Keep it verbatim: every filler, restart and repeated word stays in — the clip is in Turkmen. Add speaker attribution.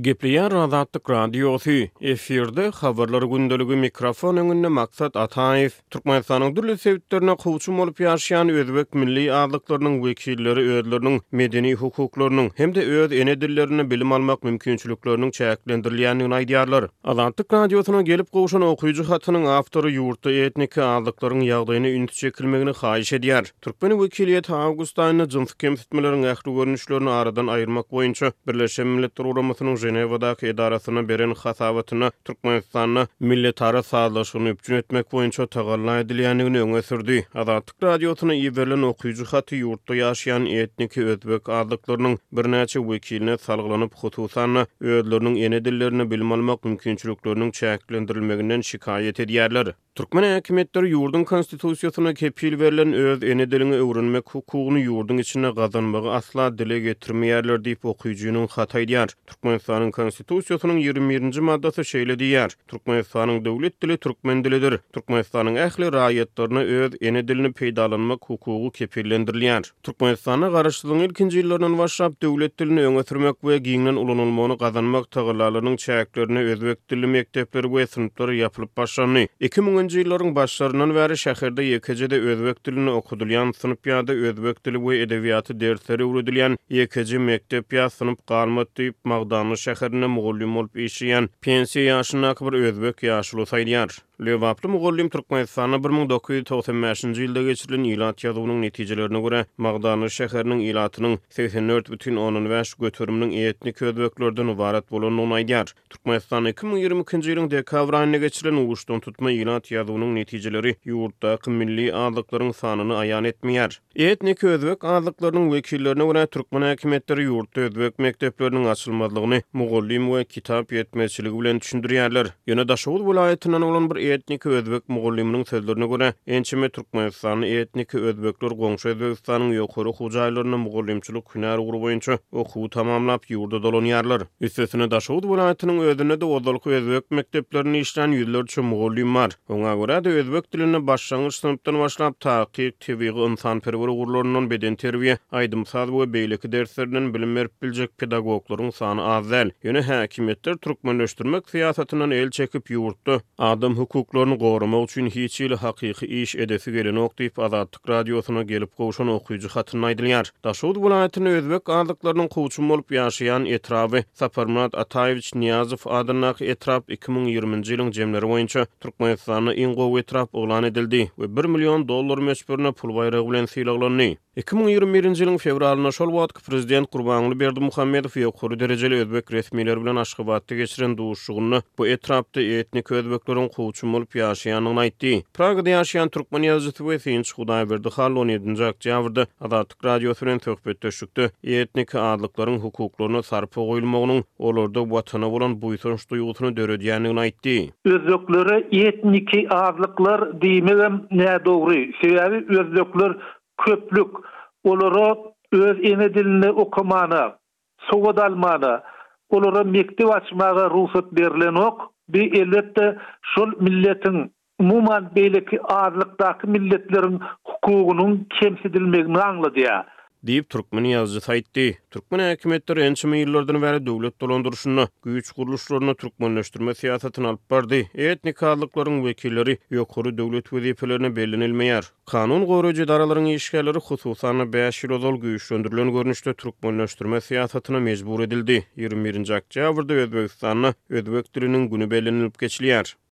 Speaker 1: Gepleýär Azatlyk Radiosy, efirde Habarlar gündeligi, mikrofon öňünde Maksat Ataýew. Türkmenistanyň dürli sebitlerinde kowçum bolup ýaşaýan özbek milli azlyklarynyň wekilleri özleriniň medeni hukuklarynyň hem-de öz ene dillerinde bilim almak mümkinçilikleriniň çäklendirilýändigini aýdýarlar. Azatlyk Radiosyna gelip gowşan okyjy hatynyň awtory ýurtda etniki azlyklaryň ýagdaýyna üns çekilmegini haýyş edýär. Türkmen wekiliýeti awgust aýynda jynsy kemsitmeleriň ähli görnüşlerini aradan aýyrmak boýunça Birleşen Milletler Guramasynyň Ženewadaky edarasyna beren hasabatynda Türkmenistanda milletara sazlaşygyny üpjün etmek boýunça tagalla edilýändigini öňe sürdi. Azatlyk Radiosyna iberilen okyjy haty ýurtda ýaşaýan etniki özbek azlyklarynyň birnäçe wekiline salgylanyp, hususan-da, özleriniň ene dillerinde bilim almak mümkinçilikleriniň çäklendirilmeginden şikaýat edýärler. Türkmen häkimiýetleri ýurduň Konstitusiýasynda kepil berlen öz ene diliňi öwrenmek hukugyny ýurduň içinde gazanmagy asla dile getirmeýärler diýip, okyjynyň haty aýdýar. Türkmenistanyň Konstitusiýasynyň ýigrimi birinji maddasy şeýle diýýär, Türkmenistanyň döwlet dili türkmen dilidir. Türkmenistanyň ähli raýatlaryna öz ene dilini peýdalanmak hukugy kepillendirilýär. Türkmenistanda Garaşsyzlygyň ilkinji ýyllaryndan başlap döwlet dilini öňe sürmek we giňden ulanylmagyny gazanmak tagallalarynyň çäklerinde özbek dilli mekdepler we synplar ýapylyp başlandy. Iki müňünji ýyllaryň başlaryndan bäri şäherde ýekeje-de özbek dilinde okadylýan synp ýa-da özbek dili we edebiýaty dersleri öwredilýän ýekeje mekdep ýa synp galmady diýip, Magdanly şäherinde mugallym bolup işleýän pensiýa ýaşyndaky bir özbek ýaşulusy aýdýar. Lebaply mugallym Türkmenistanda bir müň dokuz ýüz togsan bäşinji ýylda geçirilen ilat ýazuwynyň netijelerine görä, Magdanly şäheriniň ilatynyň segsen dört bütin ondan bäş göteriminiň etnik özbeklerden ybarat bolandygyny aýdýar. Türkmenistanda iki müň ýigrimi ikinji ýylyň dekabr aýynda geçirilen uçdantutma ilat ýazuwynyň netijeleri ýurtdaky milli azlyklaryň sanyny aýan etmeýär. Etnik özbek azlyklarynyň wekillerine görä, türkmen häkimiýetleri ýurtda özbek mekdepleriniň açylmazlygyny mugallym we kitap ýetmezçiligi bilen düşündirýärler. Ýöne Daşoguz welaýatyndan bolan bir etnik özbek mugallymynyň sözlerine görä, ençeme türkmenistanly etnik özbekler goňşy Özbegistanyň ýokary okuw jaýlarynda mugallymçylyk hünär ugry boýunça okuwy tamamlap, ýurda dolanýarlar. Üstesine, Daşoguz welaýatynyň özünde-de ozalky özbek mekdeplerinde işlän ýüzlerçe mugallym bar. Oňa görä-de, özbek dilinde başlangyç synpdan başlap, takyk, tebigy, ynsanperwer ugurlaryndan bedenterbiýe, aýdym-saz we beýleki derslerinden bilim berip biljek pedagoglaryň sany az däl. Ýöne häkimiýetler türkmenleşdirmek syýasatyndan el çekip, ýurtda adam hukuklaryny goramak üçin hiç hili hakyky iş edesi gelenok diýip, Azatlyk Radiosyna gelip gowşan okyjy hatynda aýdylýar. Daşoguz welaýatynda özbek azlyklarynyň kowçum bolup ýaşaýan etraby Saparmyrat Ataýewiç Nyýazow adyndaky etrap iki müň ýigriminji ýylyň jemleri boýunça Türkmenistanda iň gowy etrap yglan edildi we bir million dollar möçberinde pul baýragy bilen sylaglandy. Iki müň ýigrimi birinji ýylyň fewralynda şol wagtky prezident Gurbanguly Berdimuhamedow ýokary derejeli özbek resmileri bilen Aşgabatda geçiren duşuşygynda bu etrapda etnik özbekleriň kowçum bolup ýaşaýandygyny aýtdy. Pragada ýaşaýan türkmen ýazyjysy we synçy Hudaýberdi Hally on ýedinji oktýabrda Azatlyk Radiosy bilen söhbetdeşlikde etnik azlyklaryň hukuklaryna sarpa goýulmagynyň olarda watana bolan buýsanç duýgusyny döredýändigini aýtdy.
Speaker 2: Özbeklere etniki azlyklar diýmegem nädogry. Sebäbi özbekler köplük. Olara öz ene dilinde okamana, sowat almana, olara mekdep açmaga rugsat berilenok. Bi elbetde şol milletiň, umuman beýleki azlykdaky milletleriň hukugynyň kemsidilmegini aňladýar.
Speaker 1: Diýip, türkmen ýazyjysy aýtdy. Türkmen häkimiýetleri ençeme ýyllardan bäri döwlet dolandyryşynda, güýç gurluşlarynda türkmenleşdirme syýasatyny alyp bardy. Etnik azlyklaryň wekilleri ýokary döwlet wezipelerine bellenilmeýär. Kanun goraýjy edaralaryň işgärleri, hususan-da, bäş ýyl ozal güýçlendirilen görnüşde türkmenleşdirme syýasatyna mejbur edildi. Ýigrimi birinji oktýabrda Özbegistanda özbek diliniň güni bellenilip geçilýär.